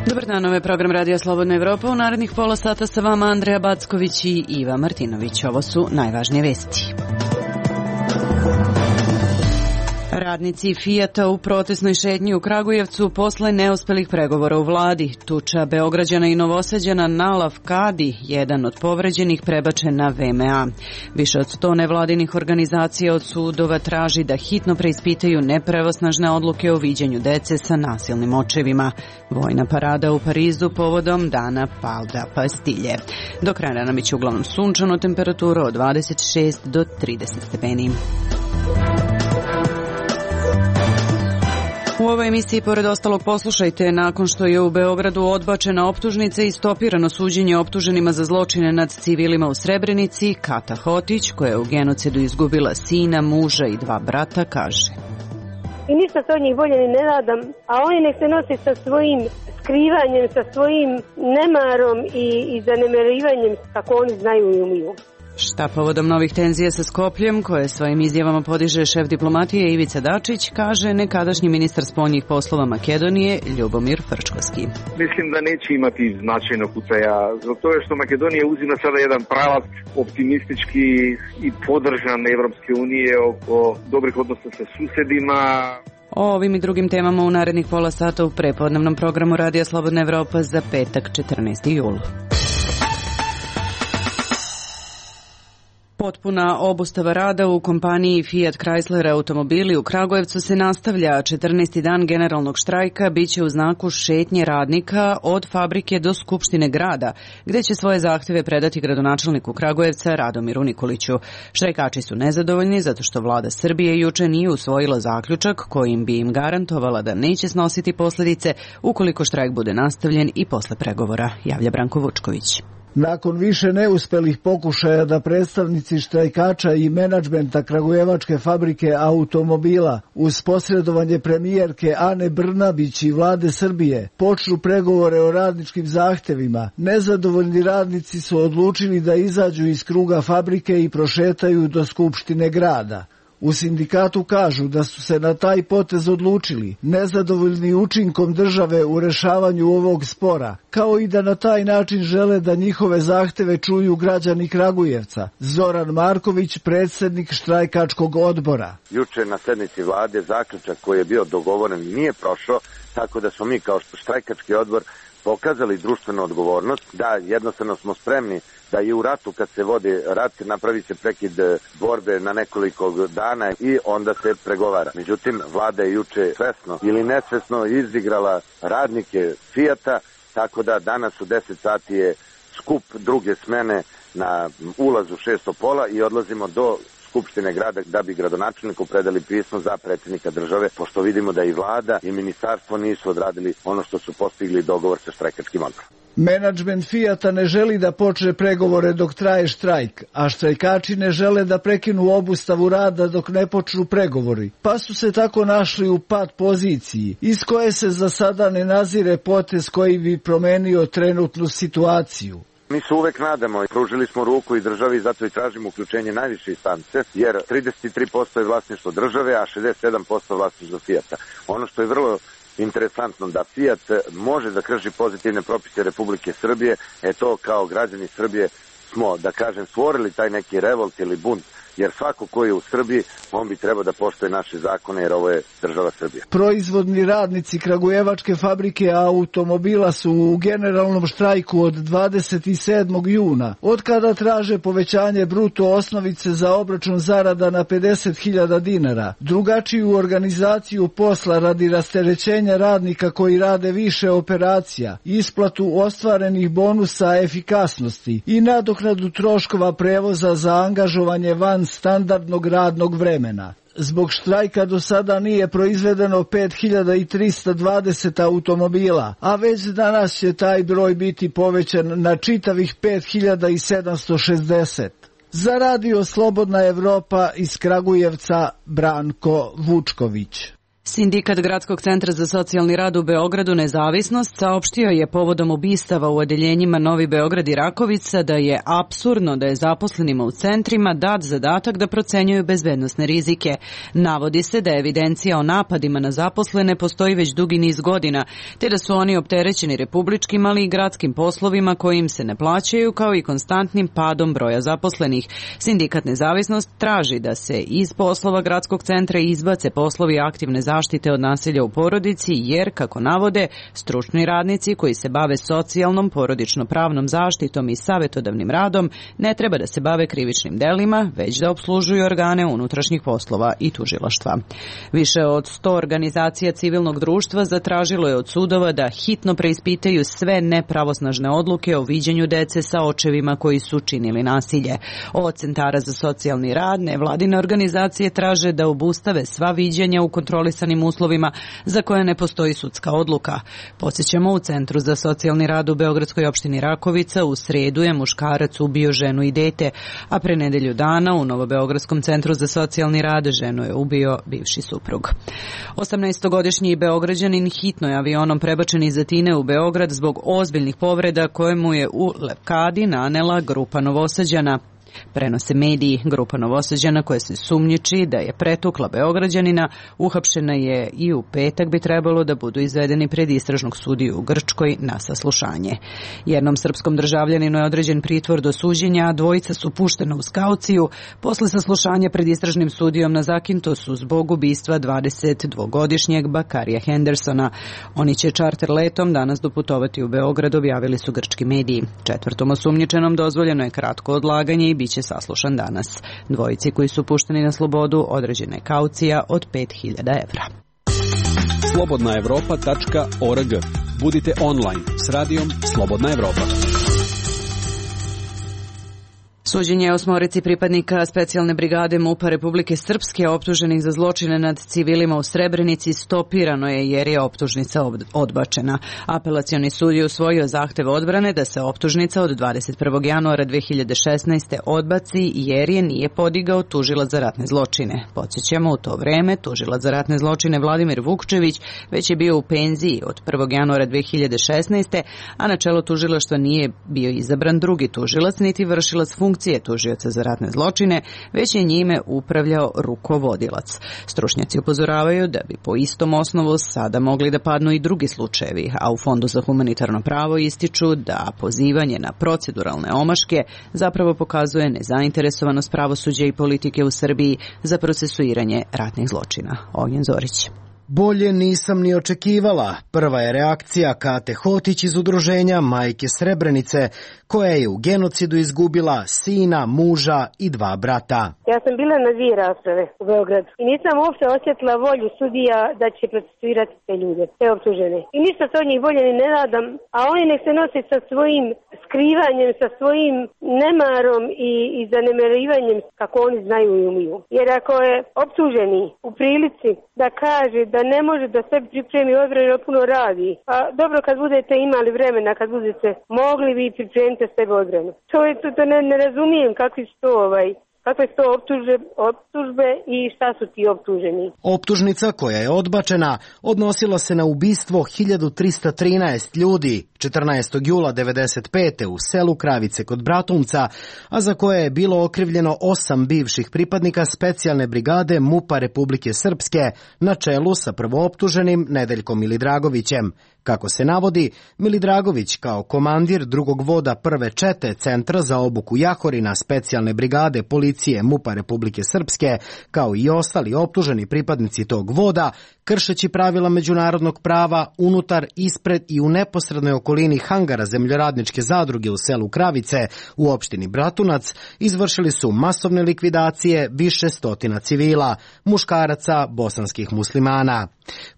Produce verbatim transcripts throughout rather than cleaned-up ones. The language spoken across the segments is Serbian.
Dobar dan, ovo je program Radija Slobodna Evropa. U narednih pola sata sa vama Andreja Backović i Iva Martinović. Ovo su najvažnije vesti. Radnici Fijata u protesnoj šetnji u Kragujevcu posle neuspelih pregovora u vladi. Tuča Beograđana i Novosađana na Lavkadi, jedan od povređenih, prebačen na V M A. Više od sto nevladinih organizacija od sudova traži da hitno preispitaju nepravosnažne odluke o viđanju dece sa nasilnim očevima. Vojna parada u Parizu povodom dana Palda Pastilje. Do kraja dana biće uglavnom sunčano, temperatura od dvadeset šest do trideset stepeni. U ovoj emisiji, pored ostalog, poslušajte, nakon što je u Beogradu odbačena optužnica i stopirano suđenje optuženima za zločine nad civilima u Srebrenici, Kata Hotić, koja je u genocidu izgubila sina, muža i dva brata, kaže: I ništa se od njih bolje ni ne nadam, a oni nek se nosi sa svojim skrivanjem, sa svojim nemarom i, i zanemarivanjem, kako oni znaju i umiju. Šta povodom novih tenzija sa Skopljem, koje svojim izjavama podiže šef diplomatije Ivica Dačić, kaže nekadašnji ministar spoljnih poslova Makedonije Ljubomir Frčkovski. Mislim da neće imati značajnog uticaja, zbog toga što Makedonija uzima sada jedan pravac optimistički i podržan Evropske unije oko dobrih odnosa sa susedima. O ovim i drugim temama u narednih pola sata u prepodnevnom programu Radija Slobodna Evropa za petak četrnaesti jul. Potpuna obustava rada u kompaniji Fiat Chrysler automobili u Kragujevcu se nastavlja. četrnaesti dan generalnog štrajka biće u znaku šetnje radnika od fabrike do Skupštine grada, gde će svoje zahteve predati gradonačelniku Kragujevca Radomiru Nikoliću. Štrajkači su nezadovoljni zato što vlada Srbije juče nije usvojila zaključak kojim bi im garantovala da neće snositi posledice ukoliko štrajk bude nastavljen i posle pregovora, javlja Branko Vučković. Nakon više neuspelih pokušaja da predstavnici štrajkača i menadžmenta Kragujevačke fabrike automobila uz posredovanje premijerke Ane Brnabić i vlade Srbije počnu pregovore o radničkim zahtevima, nezadovoljni radnici su odlučili da izađu iz kruga fabrike i prošetaju do Skupštine grada. U sindikatu kažu da su se na taj potez odlučili, nezadovoljni učinkom države u rešavanju ovog spora, kao i da na taj način žele da njihove zahteve čuju građani Kragujevca. Zoran Marković, predsjednik štrajkačkog odbora. Juče na sednici vlade zaključak koji je bio dogovoren nije prošao, tako da smo mi kao štrajkački odbor pokazali društvenu odgovornost, da jednostavno smo spremni da i u ratu, kad se vodi rat, napravi se prekid borbe na nekoliko dana i onda se pregovara. Međutim, vlada je juče svesno ili nesvesno izigrala radnike Fijata, tako da danas u deset sati je skup druge smene na ulazu šesto pola i odlazimo do Skupštine grada da bi gradonačelniku predali pismo za predsjednika države, pošto vidimo da i vlada i ministarstvo nisu odradili ono što su postigli dogovor sa štrajkačkim odborom. Menadžment Fijata ne želi da počne pregovore dok traje štrajk, a štrajkači ne žele da prekinu obustavu rada dok ne počnu pregovori, pa su se tako našli u pat poziciji, iz koje se za sada ne nazire potez koji bi promenio trenutnu situaciju. Mi se uvek nadamo i pružili smo ruku i državi, zato i tražimo uključenje najviše instance, jer trideset tri posto je vlasništvo države, a šezdeset sedam posto vlasništvo Fijata. Ono što je vrlo interesantno da Fijat može da krši pozitivne propise Republike Srbije, e to kao građani Srbije smo, da kažem, stvorili taj neki revolt ili bunt, jer svako ko je u Srbiji, on bi trebao da poštuje naše zakone, jer ovo je država Srbija. Proizvodni radnici Kragujevačke fabrike automobila su u generalnom štrajku od dvadeset sedmog juna, od kada traže povećanje bruto osnovice za obračun zarada na pedeset hiljada dinara, drugačiju organizaciju posla radi rasterećenja radnika koji rade više operacija, isplatu ostvarenih bonusa efikasnosti i nadoknadu troškova prevoza za angažovanje van standardnog radnog vremena. Zbog štrajka do sada nije proizvedeno pet hiljada trista dvadeset automobila, a već danas će taj broj biti povećan na čitavih pet hiljada sedamsto šezdeset. Za Radio Slobodna Evropa iz Kragujevca, Branko Vučković. Sindikat Gradskog centra za socijalni rad u Beogradu Nezavisnost saopštio je povodom ubistava u odeljenjima Novi Beograd i Rakovica da je apsurdno da je zaposlenima u centrima dat zadatak da procenjuju bezbednosne rizike. Navodi se da evidencija o napadima na zaposlene postoji već dugi niz godina, te da su oni opterećeni republičkim, ali i gradskim poslovima koji im se ne plaćaju, kao i konstantnim padom broja zaposlenih. Sindikat Nezavisnost traži da se iz poslova Gradskog centra izbace poslovi aktivne zaštite zaštite od nasilja u porodici, jer, kako navode, stručni radnici koji se bave socijalnom, porodično-pravnom zaštitom i savjetodavnim radom ne treba da se bave krivičnim delima, već da opslužuju organe unutrašnjih poslova i tužilaštva. Više od sto organizacija civilnog društva zatražilo je od sudova da hitno preispitaju sve nepravosnažne odluke o viđenju dece sa očevima koji su činili nasilje. Od centara za socijalni rad nevladine organizacije traže da obustave sva viđenja u kontrolisanim uslovima za koje ne postoji sudska odluka. Podsjećamo, u Centru za socijalni rad u Beogradskoj opštini Rakovica u sredu je muškarac ubio ženu i dete, a pre nedelju dana u Novobeogradskom centru za socijalni rad ženu je ubio bivši suprug. osamnaestogodišnji Beograđanin hitno je avionom prebačen iz Atine u Beograd zbog ozbiljnih povreda koje mu je u Lepkadi nanela grupa Novosađana. Prenose mediji. Grupa Novosađana koja se sumnjiči da je pretukla Beograđanina uhapšena je i u petak bi trebalo da budu izvedeni pred istražnog sudiju u Grčkoj na saslušanje. Jednom srpskom državljaninu je određen pritvor do suđenja, a dvojica su puštena uz kauciju posle saslušanja pred istražnim sudijom na Zakintosu zbog ubistva dvadesetdvogodišnjeg Bakarija Hendersona. Oni će čarter letom danas doputovati u Beograd, objavili su grčki mediji. Četvrtom osumnjičenom dozvoljeno je kratko odlaganje i biće saslušan danas. Dvojici koji su pušteni na slobodu određena je kaucija od pet hiljada evra. slobodna evropa tačka org. Budite online s radijom Slobodna Evropa. Suđenje osmorici pripadnika specijalne brigade MUP-a Republike Srpske optuženih za zločine nad civilima u Srebrenici stopirano je jer je optužnica odbačena. Apelacioni sud je usvojio zahtev odbrane da se optužnica od dvadeset prvog januara dve hiljade šesnaeste. odbaci jer je nije podigao tužilac za ratne zločine. Podsjećamo, u to vreme tužilac za ratne zločine Vladimir Vukčević već je bio u penziji od prvog januara dve hiljade šesnaeste. a na čelo tužilaštva nije bio izabran drugi tužilac niti vršilac funkcije tužioca za ratne zločine, već je njime upravljao rukovodilac. Stručnjaci upozoravaju da bi po istom osnovu sada mogli da padnu i drugi slučajevi, a u Fondu za humanitarno pravo ističu da pozivanje na proceduralne omaške zapravo pokazuje nezainteresovanost pravosuđa i politike u Srbiji za procesuiranje ratnih zločina. Ognjen Zorić. Bolje nisam ni očekivala. Prva je reakcija Kate Hotić iz udruženja Majke Srebrenice, koja je u genocidu izgubila sina, muža i dva brata. Ja sam bila na dvije rasprave u Beogradu i nisam uopšte osjetila volju sudija da će procesuirati te ljude, te optužene. I ništa se od njih bolje ni ne nadam, a oni nek se nose sa svojim skrivanjem, sa svojim nemarom i, i zanemarivanjem kako oni znaju i umiju. Jer ako je optuženi u prilici da kaže da ne može da sebi pripremi odbranu, puno radi. A dobro, kad budete imali vremena, kad budete mogli, vi pripremite sebe odbranu. To je to, to ne, ne razumijem kakvi su to ovaj kakve su to optužbe, optužbe i šta su ti optuženi. Optužnica koja je odbačena odnosila se na ubistvo hiljadu trista trinaest ljudi četrnaestog jula devedeset pete u selu Kravice kod Bratunca, a za koje je bilo okrivljeno osam bivših pripadnika specijalne brigade MUP-a Republike Srpske na čelu sa prvooptuženim Nedeljkom Milidragovićem. Kako se navodi, Milidragović kao komandir drugog voda prve čete Centra za obuku Jahorina specijalne brigade policije MUP-a Republike Srpske, kao i ostali optuženi pripadnici tog voda, kršeći pravila međunarodnog prava unutar, ispred i u neposrednoj okolini hangara zemljoradničke zadruge u selu Kravice u opštini Bratunac, izvršili su masovne likvidacije više stotina civila, muškaraca bosanskih muslimana.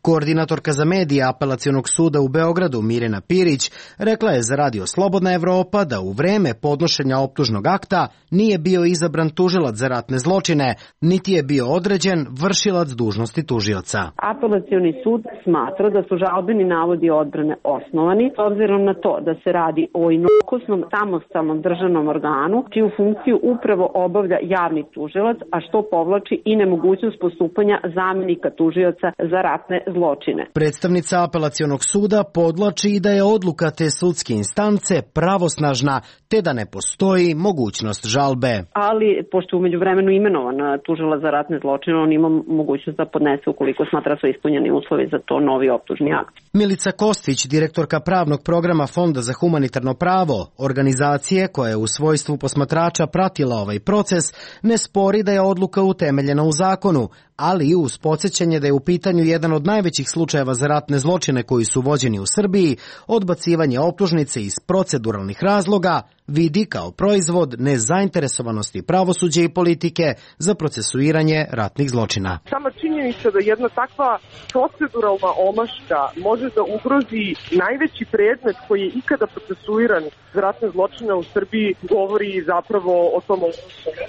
Koordinatorka za medije Apelacionog suda u Beogradu Mirjana Pirić rekla je za Radio Slobodna Evropa da u vreme podnošenja optužnog akta nije bio izabran tužilac za ratne zločine, niti je bio određen vršilac dužnosti tužioca. Apelacioni sud smatra da su žalbeni navodi odbrane osnovani, s obzirom obzirom na to da se radi o inokosnom samostalnom državnom organu, čiju funkciju upravo obavlja javni tužilac, a što povlači i nemogućnost postupanja zamenika tužioca za ratne zločine. Predstavnica apelacionog suda podlači i da je odluka te sudske instance pravosnažna, te da ne postoji mogućnost žalbe. Ali, pošto je umeđu vremenu imenovan tužilac za ratne zločine, on ima mogućnost da podnese ukoliko smatra su ispunjeni uslovi za to novi optužni akt. Milica Kostić, direktorka pravnog programa Fonda za humanitarno pravo, organizacije koja je u svojstvu posmatrača pratila ovaj proces, ne spori da je odluka utemeljena u zakonu, ali i uz podsjećanje da je u pitanju jedan od najvećih slučajeva za ratne zločine koji su vođeni u Srbiji, odbacivanje optužnice iz proceduralnih razloga vidi kao proizvod nezainteresovanosti pravosuđa i politike za procesuiranje ratnih zločina. Sama činjenica da jedna takva proceduralna omaška može da ugrozi najveći predmet koji je ikada procesuiran za ratne zločine u Srbiji govori zapravo o tom.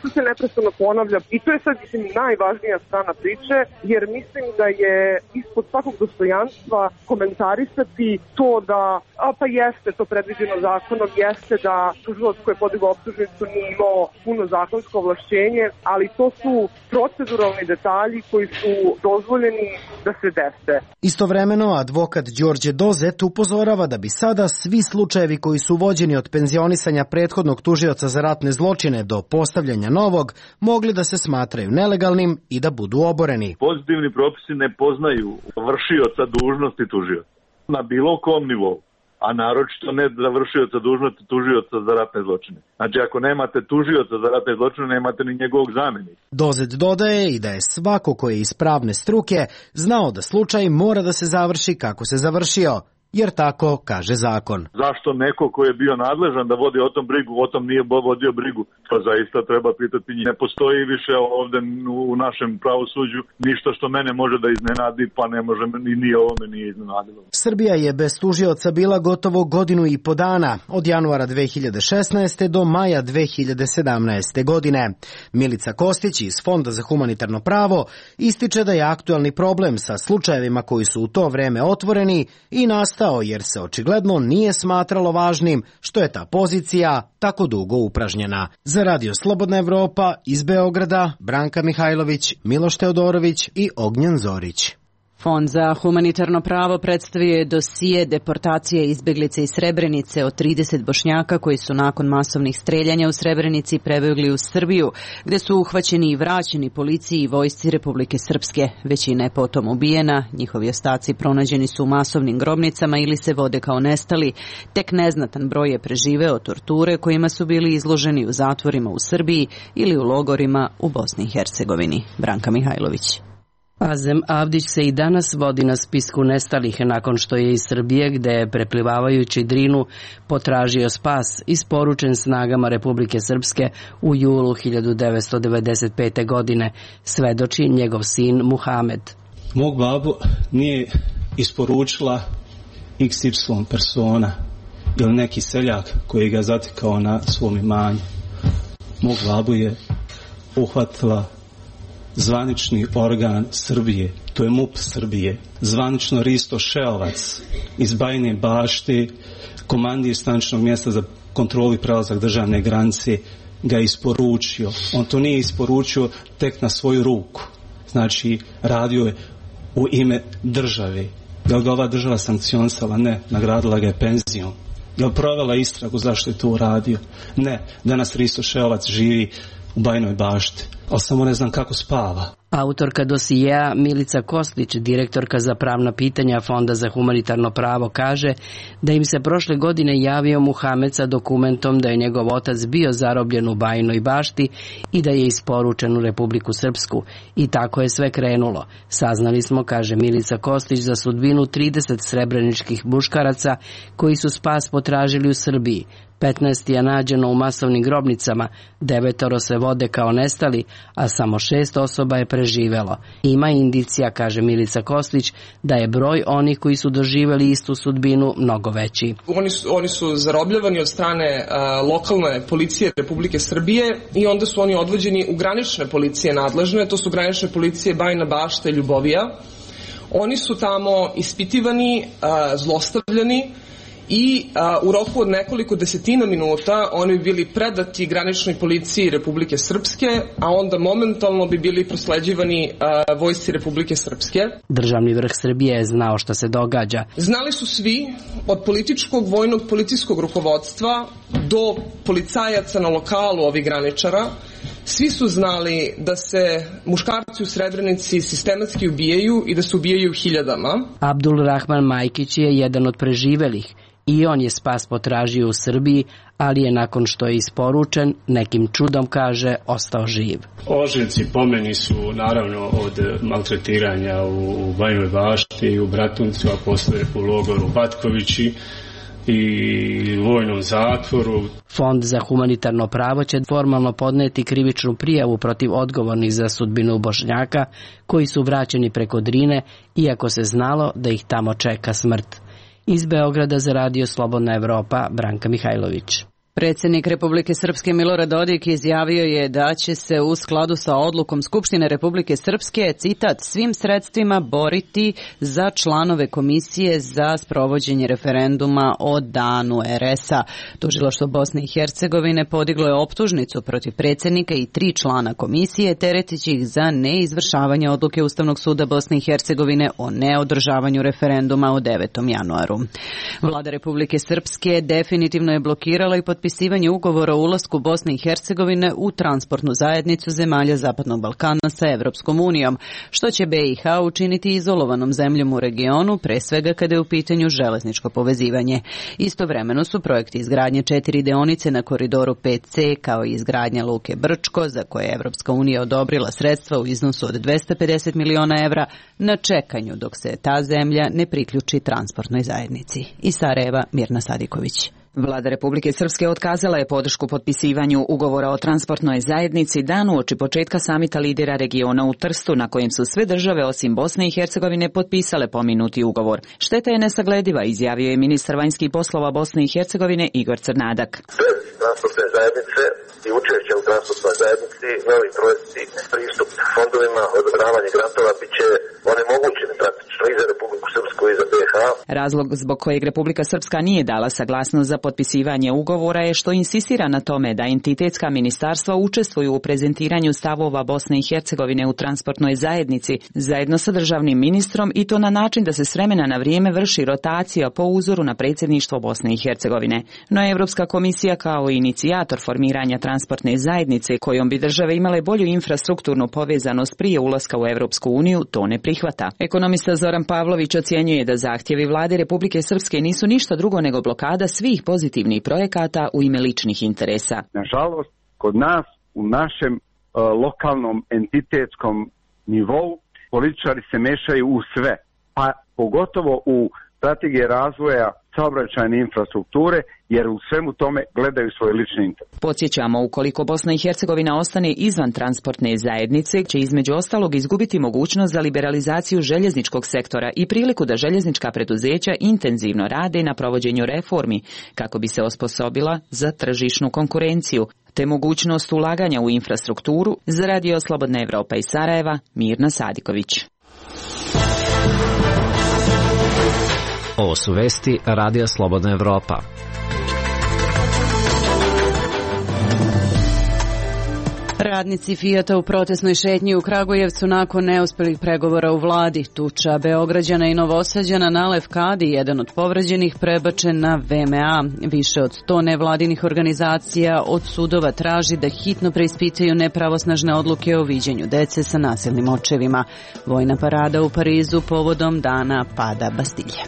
To se neprestano ponavlja i to je sad mislim, najvažnija strana priče, jer mislim da je ispod svakog dostojanstva komentarisati to da, a pa jeste to predviđeno zakonom, jeste da tužilac koji je podigao optužnicu nije imao puno zakonsko ovlašćenje, ali to su proceduralni detalji koji su dozvoljeni da se dese. Istovremeno, advokat Đorđe Dozet upozorava da bi sada svi slučajevi koji su vođeni od penzionisanja prethodnog tužioca za ratne zločine do postavljanja novog mogli da se smatraju nelegalnim i da budu oboreni. Pozitivni propisi ne poznaju vršioca dužnosti tužioca na bilo kom nivou, a naročito ne za vršioca dužnosti tužioca za ratne zločine. Znači, ako nemate tužioca za ratne zločine, nemate ni njegovog zamenika. Dozet dodaje i da je svako ko je iz pravne struke znao da slučaj mora da se završi kako se završio, jer tako kaže zakon. Zašto neko ko je bio nadležan da vodi o tom brigu, o tom nije vodio brigu? To zaista treba pitati njih. Ne postoji više ovde u našem pravosuđu ništa što mene može da iznenadi, pa ne može ni nije ovo me nije iznenadilo. Srbija je bez tužioca bila gotovo godinu i po dana, od januara dve hiljade šesnaeste. do maja dve hiljade sedamnaeste. godine. Milica Kostić iz Fonda za humanitarno pravo ističe da je aktuelni problem sa slučajevima koji su u to vreme otvoreni i nastao jer se očigledno nije smatralo važnim što je ta pozicija tako dugo upražnjena. Za Radio Slobodna Evropa iz Beograda, Branka Mihajlović, Miloš Teodorović i Ognjen Zorić. Fond za humanitarno pravo predstavio je dosije deportacije izbeglice iz Srebrenice od trideset Bošnjaka koji su nakon masovnih streljanja u Srebrenici prebegli u Srbiju, gde su uhvaćeni i vraćeni policiji i vojsci Republike Srpske. Većina je potom ubijena, njihovi ostaci pronađeni su u masovnim grobnicama ili se vode kao nestali. Tek neznatan broj je preživeo torture kojima su bili izloženi u zatvorima u Srbiji ili u logorima u Bosni i Hercegovini. Branka Mihajlović. Azem Avdić se i danas vodi na spisku nestalih nakon što je iz Srbije, gde je preplivavajući Drinu potražio spas, isporučen snagama Republike Srpske u julu hiljadu devetsto devedeset pete. godine, svedoči njegov sin Muhamed. Mog babu nije isporučila iks ipsilon persona ili neki seljak koji ga zatekao na svom imanju. Mog babu je uhvatila zvanični organ Srbije, to je MUP Srbije, zvanično Risto Šeovac iz Bajine Bašte, komandir staničnog mjesta za kontrolu i prelazak državne granice, ga isporučio. On to nije isporučio tek na svoju ruku. Znači, radio je u ime države. Je li ga ova država sankcionisala? Ne. Nagradila ga je penzijom. Je li provela istragu zašto je to uradio? Ne. Danas Risto Šeovac živi u Bajinoj Bašti, ali samo ne znam kako spava. Autorka dosijeja Milica Kostić, direktorka za pravna pitanja Fonda za humanitarno pravo, kaže da im se prošle godine javio Muhamed sa dokumentom da je njegov otac bio zarobljen u Bajinoj Bašti i da je isporučen u Republiku Srpsku. I tako je sve krenulo. Saznali smo, kaže Milica Kostić, za sudbinu trideset srebreničkih muškaraca koji su spas potražili u Srbiji. petnaest je nađeno u masovnim grobnicama, devetoro se vode kao nestali, a samo šest osoba je preživelo. Ima indicija, kaže Milica Kostić, da je broj onih koji su doživjeli istu sudbinu mnogo veći. Oni su, oni su zarobljavani od strane a, lokalne policije Republike Srbije i onda su oni odvođeni u granične policije nadležne, to su granične policije Bajina Bašta i Ljubovija. Oni su tamo ispitivani, a, zlostavljani i a, u roku od nekoliko desetina minuta oni bi bili predati graničnoj policiji Republike Srpske, a onda momentalno bi bili prosleđivani a, vojsci Republike Srpske. Državni vrh Srbije je znao šta se događa. Znali su svi, od političkog, vojnog, policijskog rukovodstva do policajaca na lokalu ovih graničara, svi su znali da se muškarci u Srebrenici sistematski ubijaju i da se ubijaju hiljadama. Abdul Rahman Majkić je jedan od preživelih i on je spas potražio u Srbiji, ali je nakon što je isporučen, nekim čudom, kaže, ostao živ. Ožiljci po meni su naravno od maltretiranja u Bajinoj Bašti i u Bratuncu, a posle u logoru Batkovići i vojnom zatvoru. Fond za humanitarno pravo će formalno podneti krivičnu prijavu protiv odgovornih za sudbinu Bošnjaka koji su vraćeni preko Drine, iako se znalo da ih tamo čeka smrt. Iz Beograda za Radio Slobodna Evropa, Branka Mihajlović. Predsjednik Republike Srpske Milorad Dodik izjavio je da će se u skladu sa odlukom Skupštine Republike Srpske, citat, svim sredstvima boriti za članove komisije za sprovođenje referenduma o danu er es a. Tužilaštvo Bosne i Hercegovine podiglo je optužnicu protiv predsjednika i tri člana komisije, teretići ih za neizvršavanje odluke Ustavnog suda Bosne i Hercegovine o neodržavanju referenduma o devetom januaru. Vlada Republike Srpske definitivno je blokirala i potpisala potpisivanje ugovora o ulasku Bosne i Hercegovine u transportnu zajednicu zemalja Zapadnog Balkana sa Evropskom unijom, što će be i ha učiniti izolovanom zemljom u regionu, pre svega kada je u pitanju železničko povezivanje. Istovremeno su projekti izgradnje četiri deonice na koridoru pet ce kao i izgradnja luke Brčko, za koje je Evropska unija odobrila sredstva u iznosu od dvesta pedeset miliona evra, na čekanju dok se ta zemlja ne priključi transportnoj zajednici. Iz Sarajeva, Mirna Sadiković. Vlada Republike Srpske otkazala je podršku potpisivanju ugovora o transportnoj zajednici dan uoči početka samita lidera regiona u Trstu, na kojem su sve države osim Bosne i Hercegovine potpisale pomenuti ugovor. Šteta je nesaglediva, izjavio je ministar vanjskih poslova Bosne i Hercegovine Igor Crnadak. Bez transportne zajednice i učešća u transportnoj zajednici, novi projekti, pristup fondovima, odobravanje grantova bit će onemogućeni praktično i za Republiku Srpsku i za be ha. Razlog zbog kojeg Republika Srpska nije dala saglasnost za potpisivanje ugovora je što insistira na tome da entitetska ministarstva učestvuju u prezentiranju stavova Bosne i Hercegovine u transportnoj zajednici zajedno sa državnim ministrom i to na način da se s vremena na vrijeme vrši rotacija po uzoru na predsjedništvo Bosne i Hercegovine. No Evropska komisija kao inicijator formiranja transportne zajednice kojom bi države imale bolju infrastrukturnu povezanost prije ulaska u Evropsku uniju to ne prihvata. Ekonomista Zoran Pavlović ocjenjuje da zahtjevi vlade Republike Srpske nisu ništa drugo nego blokada svih pozitivnih projekata u ime ličnih interesa. Nažalost, kod nas u našem uh, lokalnom entitetskom nivou političari se mešaju u sve, pa pogotovo u strategije razvoja saobraćajne infrastrukture, jer u svemu tome gledaju svoj lični interes. Podsjećamo, ukoliko Bosna i Hercegovina ostane izvan transportne zajednice, će između ostalog izgubiti mogućnost za liberalizaciju željezničkog sektora i priliku da željeznička preduzeća intenzivno rade na provođenju reformi, kako bi se osposobila za tržišnu konkurenciju, te mogućnost ulaganja u infrastrukturu. Za Radio Slobodna Evropa iz Sarajeva, Mirna Sadiković. Ovo su vesti Radija Slobodna Evropa. Radnici Fijata u protestnoj šetnji u Kragujevcu nakon neuspjelih pregovora u vladi. Tuča Beograđana i Novosađana na Levkadi, jedan od povređenih, prebačen na ve em a. Više od sto nevladinih organizacija od sudova traži da hitno preispitaju nepravosnažne odluke o viđenju dece sa nasilnim očevima. Vojna parada u Parizu povodom dana pada Bastilje.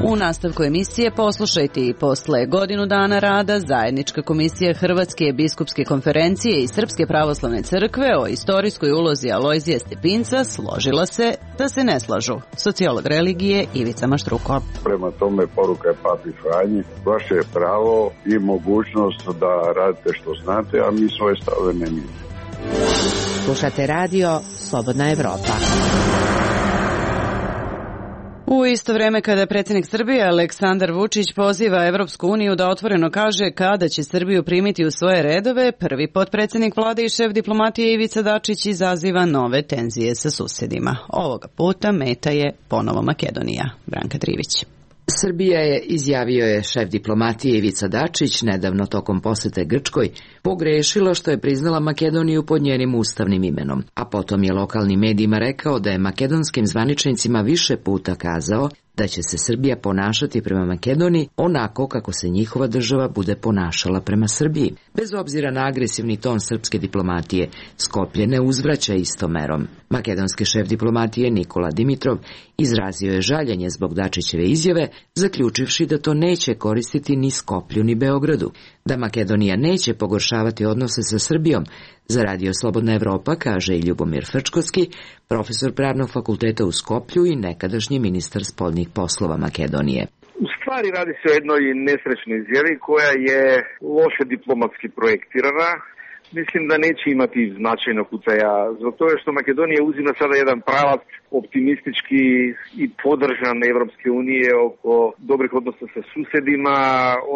U nastavku emisije poslušajte i posle godinu dana rada zajednička komisija Hrvatske biskupske konferencije i Srpske pravoslavne crkve o istorijskoj ulozi Alojzija Stepinca složila se da se ne slažu. Sociolog religije Ivica Maštruko. Prema tome poruka je Papi Franji, vaše je pravo i mogućnost da radite što znate, a mi svoje stave ne mijenjamo. Slušate radio Slobodna Evropa. U isto vreme kada predsjednik Srbije Aleksandar Vučić poziva Evropsku uniju da otvoreno kaže kada će Srbiju primiti u svoje redove, prvi potpredsjednik vlade i šef diplomatije Ivica Dačić izaziva nove tenzije sa susedima. Ovoga puta meta je ponovo Makedonija. Branka Trivić. Srbija je, izjavio je šef diplomatije Ivica Dačić nedavno tokom posete Grčkoj, pogrešila što je priznala Makedoniju pod njenim ustavnim imenom, a potom je lokalnim medijima rekao da je makedonskim zvaničnicima više puta kazao da će se Srbija ponašati prema Makedoniji onako kako se njihova država bude ponašala prema Srbiji. Bez obzira na agresivni ton srpske diplomatije, Skoplje ne uzvraća istom merom. Makedonski šef diplomatije Nikola Dimitrov izrazio je žaljenje zbog Dačićeve izjave, zaključivši da to neće koristiti ni Skoplju ni Beogradu, da Makedonija neće pogoršavati odnose sa Srbijom. Za Radio Slobodna Evropa kaže i Ljubomir Frčkovski, profesor pravnog fakulteta u Skoplju i nekadašnji ministar spoljnih poslova Makedonije. U stvari radi se o jednoj nesrećnoj izjavi koja je loše diplomatski projektirana. Mislim da neće imati značajnog utjecaja, zato je što Makedonija uzima sada jedan pravac optimistički i podržan Evropske unije oko dobrih odnosa sa susedima.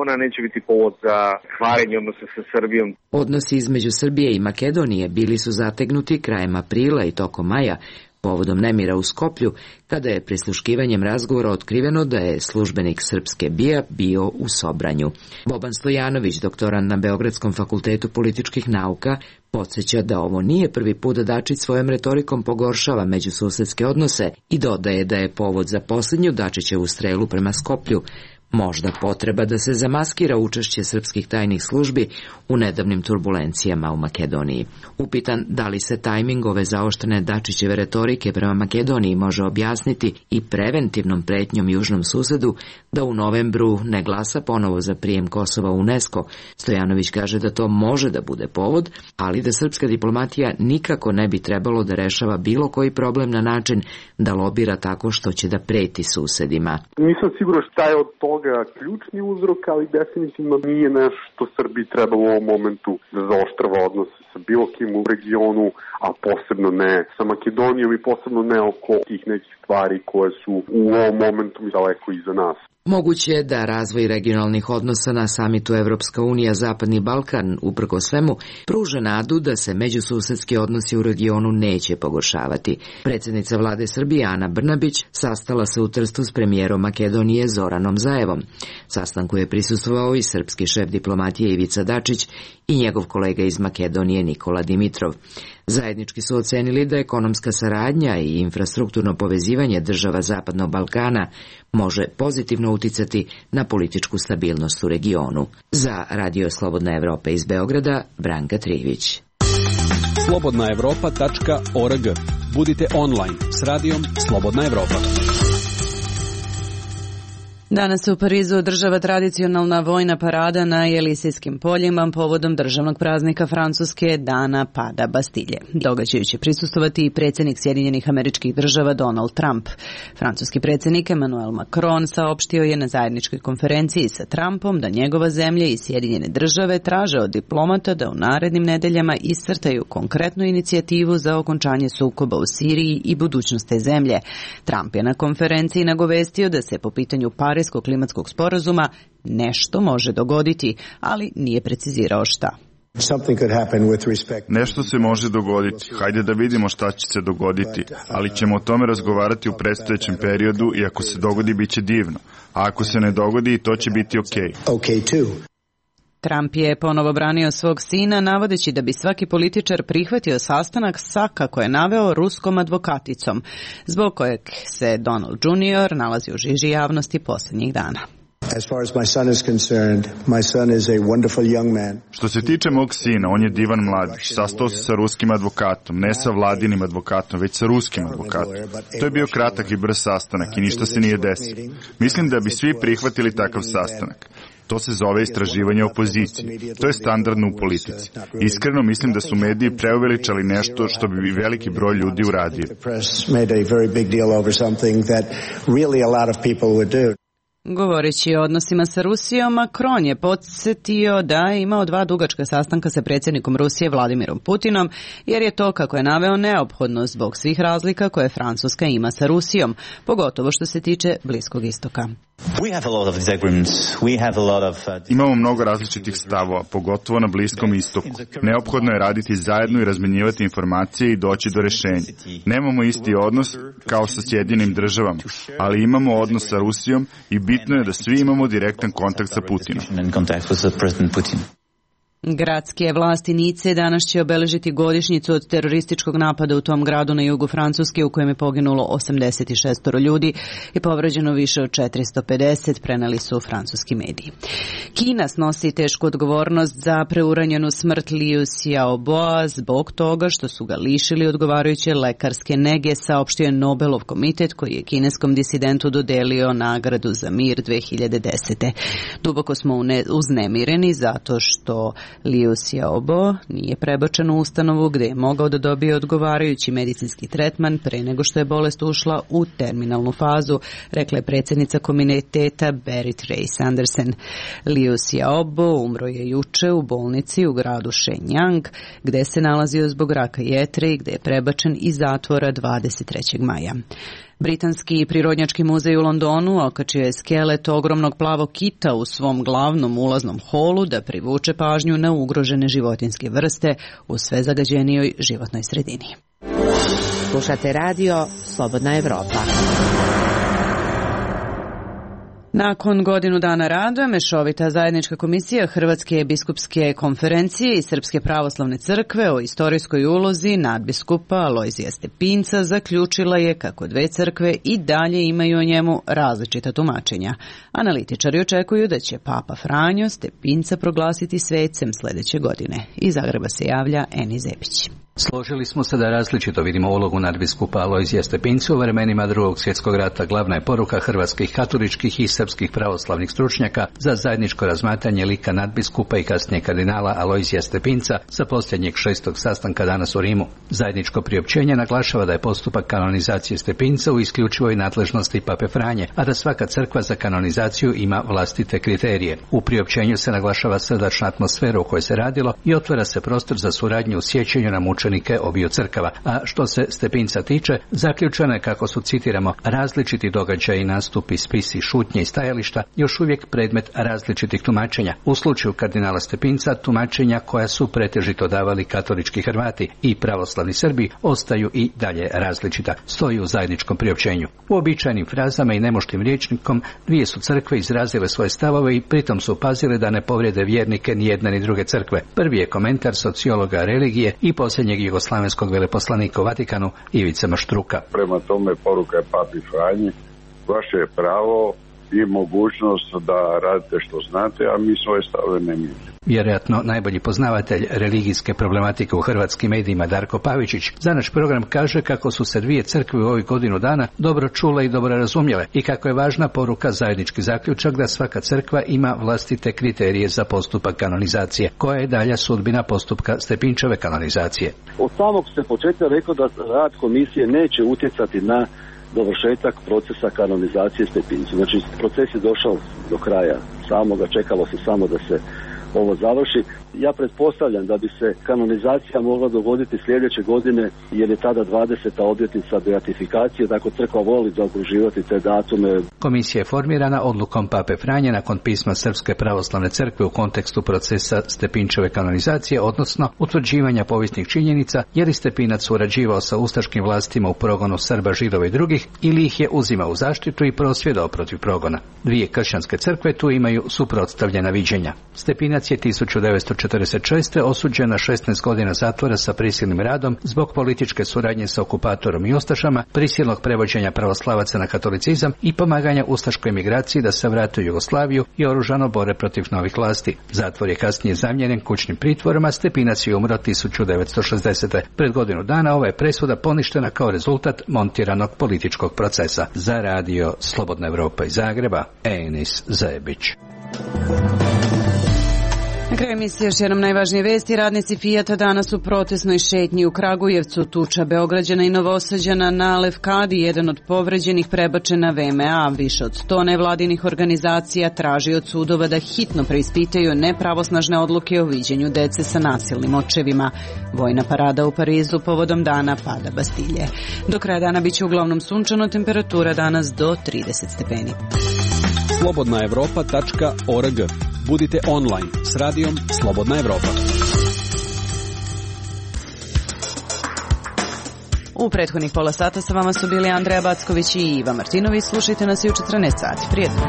Ona neće biti povod za kvarenje odnosa sa Srbijom. Odnosi između Srbije i Makedonije bili su zategnuti krajem aprila i tokom maja, povodom nemira u Skoplju, kada je prisluškivanjem razgovora otkriveno da je službenik srpske B I A bio u Sobranju. Boban Stojanović, doktorant na Beogradskom fakultetu političkih nauka, podsjeća da ovo nije prvi put da Dačić svojom retorikom pogoršava međususedske odnose i dodaje da je povod za posljednju Dačićevu strelu prema Skoplju možda potreba da se zamaskira učešće srpskih tajnih službi u nedavnim turbulencijama u Makedoniji. Upitan da li se tajming ove zaoštrene Dačićeve retorike prema Makedoniji može objasniti i preventivnom pretnjom južnom susedu da u novembru ne glasa ponovo za prijem Kosova u UNESCO, Stojanović kaže da to može da bude povod, ali da srpska diplomatija nikako ne bi trebalo da rešava bilo koji problem na način da lobira tako što će da preti susedima. Nisam siguran šta je od toga ključni uzrok, ali definitivno nije nešto što Srbiji treba u ovom momentu da zaoštrava odnose sa bilo kim u regionu, a posebno ne sa Makedonijom i posebno ne oko tih nekih stvari koje su u ovom momentu daleko iza nas. Moguće je da razvoj regionalnih odnosa na samitu Evropska unija Zapadni Balkan, uprko svemu, pruža nadu da se međususedski odnosi u regionu neće pogoršavati. Predsjednica vlade Srbije Ana Brnabić sastala se u Trstu s premijerom Makedonije Zoranom Zaevom. Sastanku je prisustvovao i srpski šef diplomatije Ivica Dačić i njegov kolega iz Makedonije Nikola Dimitrov. Zajednički su ocenili da ekonomska saradnja i infrastrukturno povezivanje država Zapadnog Balkana može pozitivno uticati na političku stabilnost u regionu. Za Radio Slobodna Evropa iz Beograda, Branka Trivić. slobodna evropa tačka org. Budite online s radijom Slobodna Evropa. Danas se u Parizu održava tradicionalna vojna parada na Jelisejskim poljima povodom državnog praznika Francuske Dana pada Bastilje. Događaju će prisustovati i predsjednik Sjedinjenih Američkih Država Donald Trump. Francuski predsjednik Emmanuel Macron saopštio je na zajedničkoj konferenciji sa Trumpom da njegova zemlja i Sjedinjene Države traže od diplomata da u narednim nedeljama iscrtaju konkretnu inicijativu za okončanje sukoba u Siriji i budućnost te zemlje. Trump je na konferenciji nagovestio da se po pitanju Pariskog klimatskog sporazuma nešto može dogoditi, ali nije precizirao šta. Nešto se može dogoditi. Hajde da vidimo šta će se dogoditi, ali ćemo o tome razgovarati u predstojećem periodu i ako se dogodi, bit će divno. A ako se ne dogodi, to će biti okej. Okay. Trump je ponovo branio svog sina, navodeći da bi svaki političar prihvatio sastanak sa, kako je naveo, ruskom advokaticom, zbog kojeg se Donald junior nalazi u žiži javnosti posljednjih dana. Što se tiče mog sina, on je divan mladić. Sastao se sa ruskim advokatom, ne sa vladinim advokatom, već sa ruskim advokatom. To je bio kratak i brz sastanak i ništa se nije desilo. Mislim da bi svi prihvatili takav sastanak. To se zove istraživanje opozicije. To je standardno u politici. Iskreno mislim da su mediji preuveličali nešto što bi veliki broj ljudi uradio. Govoreći o odnosima sa Rusijom, Macron je podsjetio da je imao dva dugačka sastanka sa predsjednikom Rusije Vladimirom Putinom, jer je to, kako je naveo, neophodno zbog svih razlika koje Francuska ima sa Rusijom, pogotovo što se tiče Bliskog istoka. Imamo mnogo različitih stavova, pogotovo na Bliskom istoku. Neophodno je raditi zajedno i razmenjivati informacije i doći do rešenja. Nemamo isti odnos kao sa Sjedinjenim državama, ali imamo odnos sa Rusijom i bitno je da svi imamo direktan kontakt sa Putinom. Gradske vlasti Nice danas će obeležiti godišnjicu od terorističkog napada u tom gradu na jugu Francuske u kojem je poginulo osamdeset šest ljudi i povređeno više od četiristo pedeset, preneli su francuski mediji. Kina snosi tešku odgovornost za preuranjenu smrt Liu Xiaoboa zbog toga što su ga lišili odgovarajuće lekarske nege, saopštio je Nobelov komitet koji je kineskom disidentu dodelio nagradu za mir dve hiljade desete. Duboko smo uznemireni zato što Liu Xiaobo nije prebačen u ustanovu gde je mogao da dobije odgovarajući medicinski tretman pre nego što je bolest ušla u terminalnu fazu, rekla je predsjednica komiteta Berit Reiss-Andersen. Liu Xiaobo umro je juče u bolnici u gradu Shenyang, gde se nalazio zbog raka jetre i gde je prebačen iz zatvora dvadeset trećeg maja. Britanski prirodnjački muzej u Londonu okačio je skelet ogromnog plavog kita u svom glavnom ulaznom holu da privuče pažnju na ugrožene životinjske vrste u sve zagađenijoj životnoj sredini. Slušate radio Slobodna Evropa. Nakon godinu dana rada, Mešovita zajednička komisija Hrvatske biskupske konferencije i Srpske pravoslavne crkve o istorijskoj ulozi nadbiskupa Alojzija Stepinca zaključila je kako dve crkve i dalje imaju o njemu različita tumačenja. Analitičari očekuju da će Papa Franjo Stepinca proglasiti svecem sledeće godine. Iz Zagreba se javlja Eni Zebić. Složili smo se da različito vidimo ulogu nadbiskupa Alojzija Stepinca u vremenima Drugog svjetskog rata. Glavna je poruka hrvatskih katoličkih i srpskih pravoslavnih stručnjaka za zajedničko razmatranje lika nadbiskupa i kasnije kardinala Alojzija Stepinca sa posljednjeg šestog sastanka danas u Rimu. Zajedničko priopćenje naglašava da je postupak kanonizacije Stepinca u isključivoj nadležnosti Pape Franje, a da svaka crkva za kanonizaciju ima vlastite kriterije. U priopćenju se naglašava srdačna atmosfera u kojoj se radilo i otvara se prostor za suradnju u sjećanju na mučenike obiju crkava. A što se Stepinca tiče, zaključeno je kako su, citiramo, različiti događaji, nastupi, spisi, šutnje i stajališta još uvijek predmet različitih tumačenja. U slučaju kardinala Stepinca, tumačenja koja su pretežito davali katolički Hrvati i pravoslavni Srbi ostaju i dalje različita, stoji u zajedničkom priopćenju. U običajnim frazama i nemoštim rječnikom dvije su crkve izrazile svoje stavove i pritom su pazile da ne povrijede vjernike ni jedne ni druge crkve. Prvi je komentar sociologa religije i posljednjeg jugoslavenskog veleposlanika u Vatikanu Ivice Maštruka. Prema tome poruka je Papi Franji, vaše je pravo i mogućnost da radite što znate, a mi svoje stave ne mijenjamo. Vjerojatno najbolji poznavatelj religijske problematike u hrvatskim medijima Darko Pavičić za naš program kaže kako su se dvije crkve u ovih godinu dana dobro čule i dobro razumjele i kako je važna poruka zajednički zaključak da svaka crkva ima vlastite kriterije za postupak kanonizacije, koja je dalja sudbina postupka Stepinčeve kanonizacije. Od samog se početka rekao da rad komisije neće utjecati na dovršetak procesa kanonizacije Stepincu. Znači, proces je došao do kraja samoga, čekalo se samo da se ovo završi. Ja pretpostavljam da bi se kanonizacija mogla dogoditi sljedeće godine, jer je tada dvadeseta obljetnica beatifikacije, tako crkva voli zaokruživati te datume. Komisija je formirana odlukom Pape Franje nakon pisma Srpske pravoslavne crkve u kontekstu procesa Stepinčeve kanonizacije, odnosno utvrđivanja povijesnih činjenica, jer je Stepinac surađivao sa ustaškim vlastima u progonu Srba, Židova i drugih, ili ih je uzimao u zaštitu i prosvjedao protiv progona. Dvije kršćanske crkve tu imaju suprotstavljena viđenja. Stepinac je tisuću devetsto četrdeset šeste. osuđen na šesnaest godina zatvora sa prisilnim radom zbog političke suradnje sa okupatorom i ustašama, prisilnog prevođenja pravoslavaca na katolicizam i pomaganja ustaškoj emigraciji da se vrate u Jugoslaviju i oružano bore protiv novih vlasti. Zatvor je kasnije zamijenjen kućnim pritvorom, a Stepinac je umro tisuću devetsto šezdesete. Pred godinu dana ova je presuda poništena kao rezultat montiranog političkog procesa. Za radio Slobodna Evropa iz Zagreba, Enis Zebić. Na kraju emisije još jednom najvažnije vesti. Radnici Fijata danas u protestnoj šetnji u Kragujevcu. Tuča Beograđana i Novosađana na Levkadi, jedan od povređenih, prebačen na V M A. Više od sto nevladinih organizacija traži od sudova da hitno preispitaju nepravosnažne odluke o viđenju dece sa nasilnim očevima. Vojna parada u Parizu povodom dana pada Bastilje. Do kraja dana biće uglavnom sunčano, temperatura danas do trideset stepeni. slobodna evropa tačka org. Budite online s radijom Slobodna Evropa. U prethodnih pola sata sa vama su bili Andreja Backović i Iva Martinović. Slušajte nas i u četrnaest sati. Prijetno.